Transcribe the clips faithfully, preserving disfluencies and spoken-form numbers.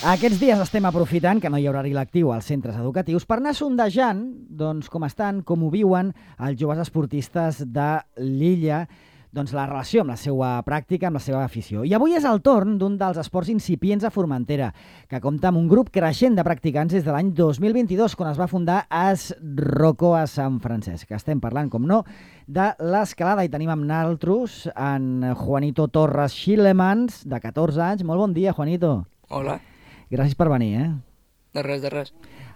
Aquests dies estem aprofitant que no hi haurà horari lectiu als centres educatius per anar sondejant doncs, com estan, com ho viuen els joves esportistes de l'illa, doncs, la relació amb la seva pràctica, amb la seva afició. I avui és el torn d'un dels esports incipients a Formentera, que compta amb un grup creixent de practicants des de l'any dos mil vint-i-dos, quan es va fundar Es Roco a Sant Francesc. Estem parlant, com no, de l'escalada i tenim amb naltros en Juanito Torres Xilemans, de catorze anys. Molt bon dia, Juanito. Hola. Gràcies per venir, eh? De res, de res.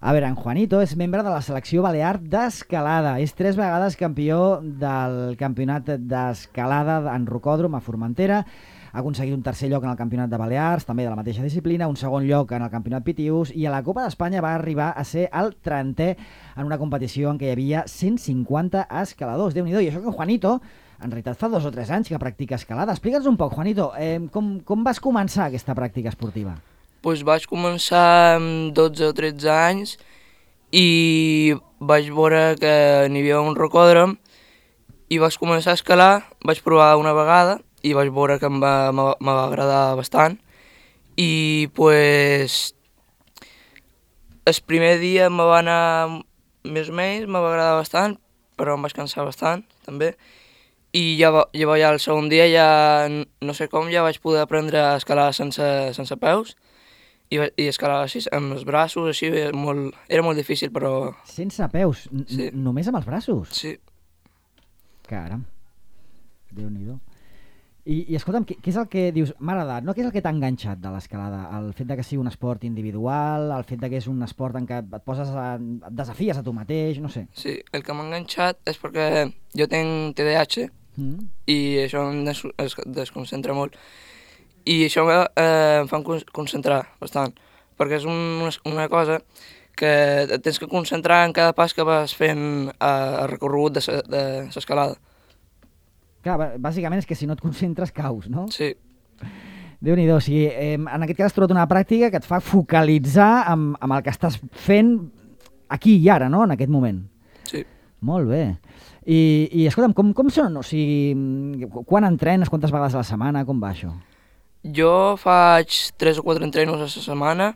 A veure, en Juanito és membre de la selecció balear d'escalada. És tres vegades campió del campionat d'escalada en rocòdrom a Formentera. Ha aconseguit un tercer lloc en el campionat de Balears, també de la mateixa disciplina, un segon lloc en el campionat Pitius, i a la Copa d'Espanya va arribar a ser el trentè en una competició en què hi havia cent cinquanta escaladors. Déu-n'hi-do. I això que en Juanito, en realitat fa dos o tres anys que practica escalada. Explica'ns un poc, Juanito, eh, com, com vas començar aquesta pràctica esportiva? Pues vaig començar amb dotze o tretze anys i vaig veure que n'hi havia un rocòdrom i vaig començar a escalar, vaig provar una vegada i vaig veure que em va, me va agradar bastant. I pues, el primer dia me va anar més o menys, me va agradar bastant, però em vaig cansar bastant també. I ja, va, ja, ja el segon dia, ja no sé com, ja vaig poder aprendre a escalar sense, sense peus. I, i escalar així, amb els braços, així, molt, era molt difícil, però... Sense peus? Sí. Només amb els braços? Sí. Caram, Déu-n'hi-do. I, i escolta'm, què, què és el que dius, m'ha agradat, no? Què és el que t'ha enganxat de l'escalada? El fet de que sigui un esport individual, el fet de que és un esport en què et poses a, et desafies a tu mateix, no sé. Sí, el que m'ha enganxat és perquè jo tinc T D A H mm. i això em des, es desconcentra molt. I això eh, em fa concentrar bastant, perquè és un, una cosa que tens que concentrar en cada pas que vas fent a recorregut de l'escalada. Clar, bàsicament és que si no et concentres caus, no? Sí. Déu-n'hi-do, o sigui, eh, en aquest cas has trobat una pràctica que et fa focalitzar amb, amb el que estàs fent aquí i ara, no?, en aquest moment. Sí. Molt bé. I, i escolta'm, com, com són? O sigui, quan entrenes, quantes vegades a la setmana, com va això? Jo faig tres o quatre entrenos a la setmana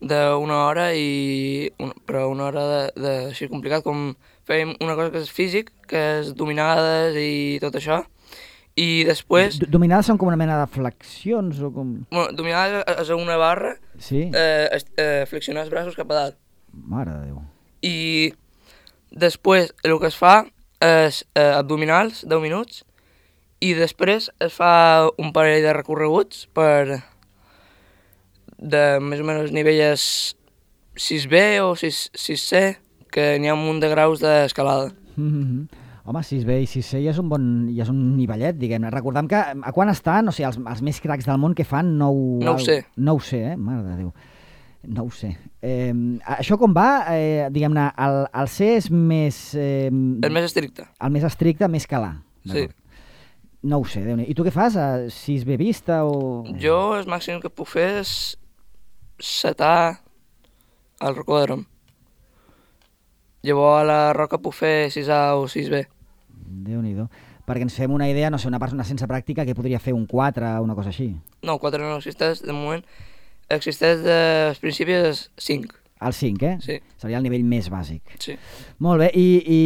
d'una hora, i un, però una hora de, de així complicat, com fèiem una cosa que és físic, que és dominades i tot això, i després... D dominades són com una mena de flexions o com... Bueno, dominades és una barra, sí? eh, eh, flexionar els braços cap a dalt. Mare de Déu. I després el que es fa és eh, abdominals, deu minuts, i després es fa un parell de recorreguts per de més o menys nivells sis B o sis C, que n'hi ha un munt de graus d'escalada. Mm-hmm. Home, sis B i sis C ja és un bon, ja és un nivellet, diguem-ne. Recordem que a quan estan, o sigui, els, els més cracs del món que fan, no ho... No ho sé. No ho sé, eh? Mare de Déu. No ho sé. Eh, això com va? Eh, diguem-ne, el, el C és més... Eh, el més estricte. El més estricte, més calar. Sí. No ho sé, Déu-n'hi-do. I tu què fas? A sis B vista o...? Jo el màxim que puc fer és setar al rocòdrom. Llavors a la roca puc fer sis A o sis B. Déu-n'hi-do. Perquè ens fem una idea, no sé, una persona sense pràctica que podria fer un quatre o una cosa així. No, quatre no existeix, de moment. Existeix dels principis és cinc. El cinc, eh? Sí. Seria el nivell més bàsic. Sí. Molt bé, i... i...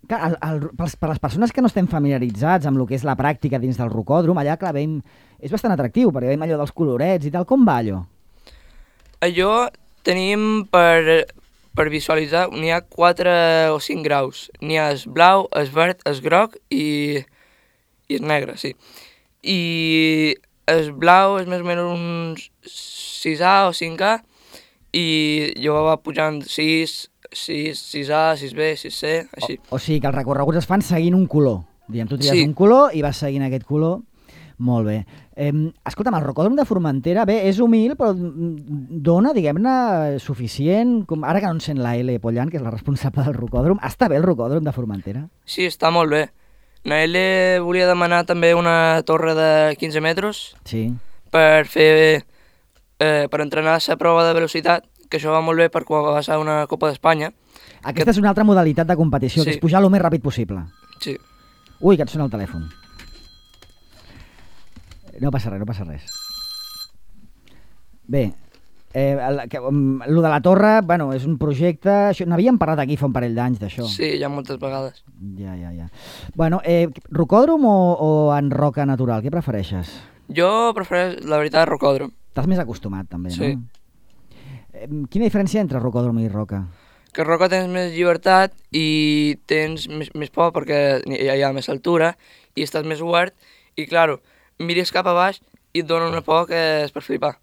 Clar, el, el, per les persones que no estem familiaritzats amb el que és la pràctica dins del rocòdrom, allà, clar, veiem, és bastant atractiu, perquè veiem allò dels colorets i tal. Com va allò? Allò tenim per, per visualitzar, n'hi ha quatre o cinc graus. N'hi ha el blau, el verd, el groc i, i el negre, sí. I el blau és més o menys un sis A o cinc A, i jo va pujant sis, sis, sis A, sis B, sis C, així. O, o sigui que els recorreguts es fan seguint un color. Diguem, tu tries sí. un color i vas seguint aquest color. Molt bé. Eh, escolta'm, el rocòdrom de Formentera, bé, és humil, però dona, diguem-ne, suficient... Com ara que no en sent la L. Pollan, que és la responsable del rocòdrom, està bé el rocòdrom de Formentera? Sí, està molt bé. La L volia demanar també una torre de quinze metres sí. per fer... Eh, per entrenar la prova de velocitat, que això va molt bé per quan va ser una Copa d'Espanya. Aquesta que... és una altra modalitat de competició, sí. que és pujar el més ràpid possible. Sí. Ui, que et sona el telèfon. No passa res, no passa res. Bé, eh, el, que, um, lo de la torre, bueno, és un projecte... Això, n'havíem parlat aquí fa un parell d'anys, d'això. Sí, ja moltes vegades. Ja, ja, ja. Bueno, eh, rocòdrom o, o en roca natural? Què prefereixes? Jo prefereixo, la veritat, rocòdrom. T'has més acostumat, també, Sí. no? Eh, quina diferència entre rocòdrom i roca? Que roca tens més llibertat i tens més, més por perquè hi ha, hi ha més altura i estàs més obert i, claro, mires cap a baix i et dona una por que és per flipar.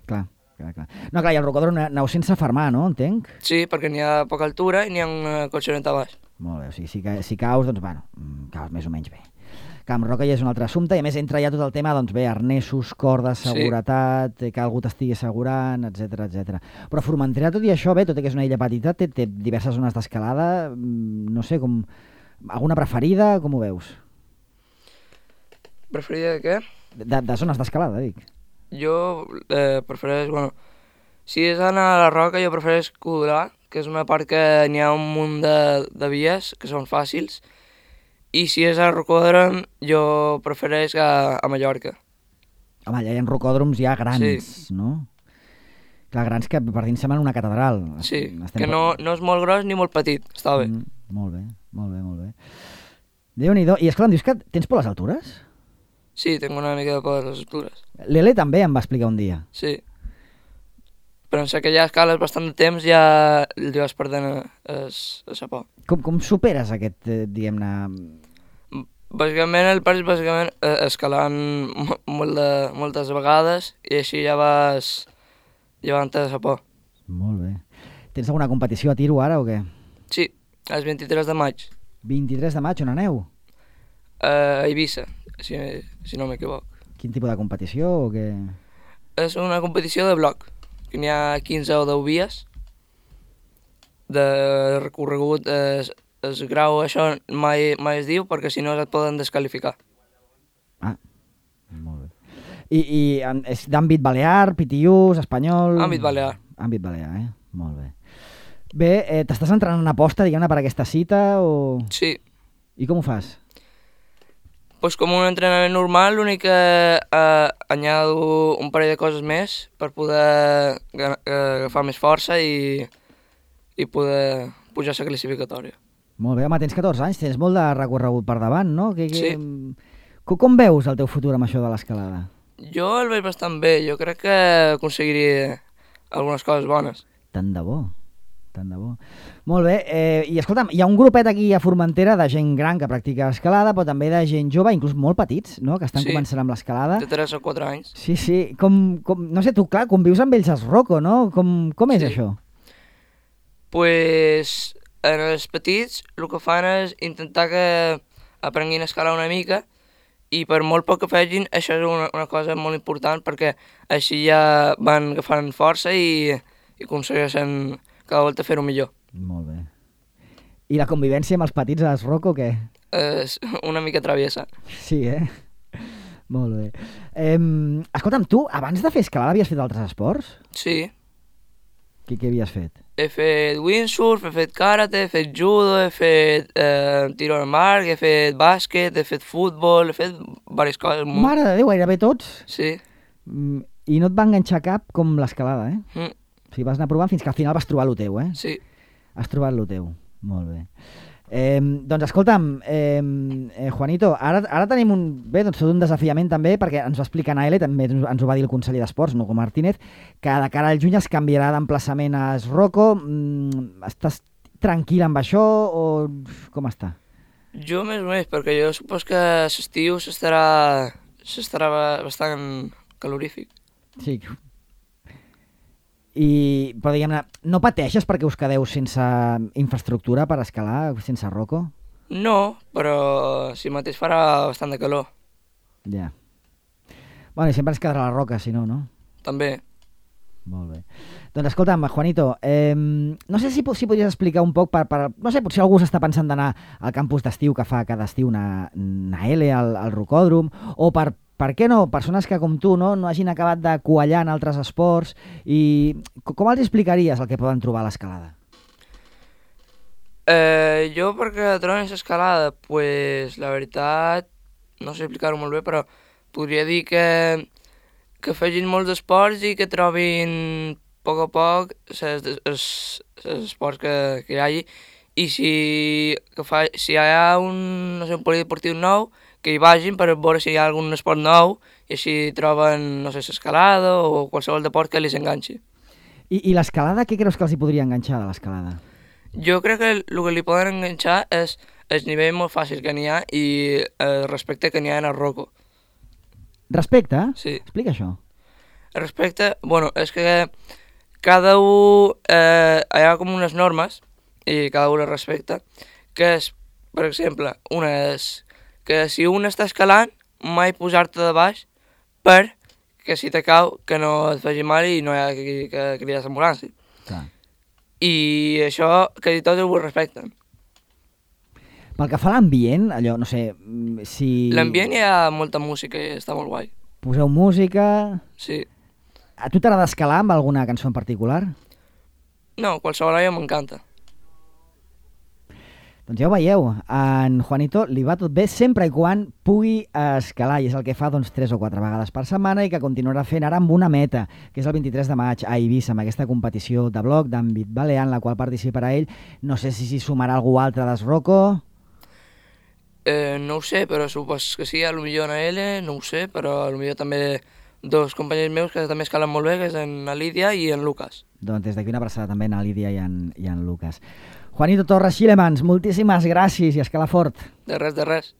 Clar, clar, clar. No, clar, i el rocòdrom aneu sense fermar, no? Entenc? Sí, perquè n'hi ha poca altura i n'hi ha una colxoneta a baix. Molt bé, o sigui, si, ca- si caus, doncs, bueno, mm, caus més o menys bé. Que amb roca ja és un altre assumpte, i a més entra ja tot el tema, doncs bé, arnesos, cordes, Sí. seguretat, eh, que algú t'estigui assegurant, etcètera, etcètera. Però Formentera, tot i això, bé, tot i que és una illa petita, té, té diverses zones d'escalada, mm, no sé, com... Alguna preferida, com ho veus? Preferida de què? De, de zones d'escalada, dic. Jo eh, prefereix, bueno, si és anar a la roca, jo prefereix Codolà, que és una part que n'hi ha un munt de, de vies que són fàcils, i si és a rocòdrom, jo prefereix a, a Mallorca. Home, allà hi ha rocòdroms ja grans, Sí. no? Clar, grans que per dins semblen una catedral. Sí, Estem que no, no és molt gros ni molt petit, està bé. Mm, molt bé, molt bé, molt bé. Déu-n'hi-do. I esclar, em dius que tens por a les altures? Sí, tinc una mica de por de les altures. L'Ele també em va explicar un dia. Sí. Però en sé que ja escales bastant de temps ja li vas perdent es, a sa por. Com, com superes aquest, eh, diguem-ne... Bàsicament el pas és bàsicament eh, escalant mo- molt de, moltes vegades i així ja vas llevant-te de sa por. Molt bé. Tens alguna competició a tiro ara o què? Sí, el vint-i-tres de maig, vint-i-tres de maig, on aneu? a Eivissa, si, si no m'equivoc. Quin tipus de competició o què? És una competició de bloc, que n'hi ha quinze o deu vies de recorregut. Es, es grau això mai, mai es diu perquè si no et poden descalificar. Ah, molt bé. I, i en- és d'àmbit balear, pitiús, espanyol... Àmbit balear. Àmbit balear, eh? Molt bé. Bé, eh, t'estàs entrant en aposta, diguem-ne, per aquesta cita o... Sí, I com ho fas? pues com un entrenament normal, l'únic que eh, añado un parell de coses més per poder ga- eh, agafar més força i, i poder pujar a la classificatòria. Molt bé, home, tens catorze anys, tens molt de recorregut per davant, no? Que, que... Sí. Com, com veus el teu futur amb això de l'escalada? Jo el veig bastant bé, jo crec que aconseguiria algunes coses bones. Tant de bo, tant de bo. Molt bé, eh, i escolta'm, hi ha un grupet aquí a Formentera de gent gran que practica escalada, però també de gent jove, inclús molt petits, no?, que estan Sí. començant amb l'escalada. De tres o quatre anys. Sí, sí, com, com, no sé, tu, clar, convius amb ells als Rocco, no? Com, com és Sí. això? Pues en els petits el que fan és intentar que aprenguin a escalar una mica i per molt poc que facin això és una, una cosa molt important perquè així ja van agafant força i, i aconsegueixen cada volta fer-ho millor. Molt bé. I la convivència amb els petits als Rocco, què? És una mica traviesa. Sí, eh? Molt bé. Eh, escolta'm, tu, abans de fer escalada, havies fet altres esports? Sí, Què, què havies fet? he fet windsurf, he fet karate, he fet judo, he fet eh, tiro al mar, he fet bàsquet, he fet futbol, he fet diverses coses. molt- Mare de Déu, gairebé tots. Sí. Mm, I no et va enganxar cap com l'escalada, eh? Mm, O sigui, vas anar provant fins que al final vas trobar lo teu, eh? sí. Has trobat lo teu. Molt bé. Eh, doncs escolta'm, eh, eh, Juanito, ara, ara tenim un, bé, doncs tot un desafiament també, perquè ens va explicar Naele, també ens, ens ho va dir el conseller d'Esports, Hugo Martínez, que de cara al juny es canviarà d'emplaçament a Rocco. Mm, estàs tranquil amb això o com està? Jo més o menys, perquè jo supos que l'estiu s'estarà s'estarà ba- bastant calorífic. Sí. I, però diguem-ne, no pateixes perquè us quedeu sense infraestructura per escalar, sense Rocco? No, però si mateix farà bastant de calor, Ja. Bueno, i sempre ens quedarà la roca, si no, no? també. Molt bé. Doncs escolta'm, Juanito, eh, no sé si, po- si podries explicar un poc per, per... No sé, potser algú s'està pensant d'anar al campus d'estiu que fa cada estiu una, una L al, al rocòdrom, o per, per què no, persones que com tu no, no hagin acabat de coallar en altres esports, i co- com els explicaries el que poden trobar a l'escalada? Eh, jo perquè trobem l'escalada, pues, la veritat, no sé explicar-ho molt bé, però podria dir que que facin molts esports i que trobin a poc a poc els esports que, que hi hagi, i si, que fa, si hi ha un, no sé, un polideportiu nou, que hi vagin per veure si hi ha algun esport nou i així troben, no sé, l'escalada o qualsevol deport que els enganxi. I, i l'escalada, què creus que els hi podria enganxar de l'escalada? Jo crec que el que li poden enganxar és el nivell molt fàcil que n'hi ha i el respecte que n'hi ha en el roco. Respecte? Sí. Explica això. El respecte, bueno, és que cada un, eh, hi ha com unes normes i cada un les respecta, que és, per exemple, una és que si un està escalant, mai posar-te de baix per que si te cau que no et faci mal i no hi ha que, que cridar l'ambulància. Clar. I això quasi tots ho respecten. Pel que fa a l'ambient, allò, no sé, si... L'ambient hi ha molta música i està molt guai. Poseu música... Sí. A tu t'agrada escalar amb alguna cançó en particular? No, qualsevol olla m'encanta. Doncs ja ho veieu, en Juanito li va tot bé sempre i quan pugui escalar, i és el que fa doncs, tres o quatre vegades per setmana i que continuarà fent ara amb una meta, que és el vint-i-tres de maig a Eivissa, amb aquesta competició de bloc d'àmbit balear en la qual participarà ell. No sé si s'hi sumarà algú altre d'Esroco. Eh, no ho sé, però supos que sí, a lo millor en ell, no ho sé, però a lo millor també dos companys meus que també escalen molt bé, que és en la Lídia i en Lucas. Doncs des d'aquí una abraçada també a la Lídia i en, i en Lucas. Juanito Torres Xilemans, moltíssimes gràcies i escala fort. De res, de res.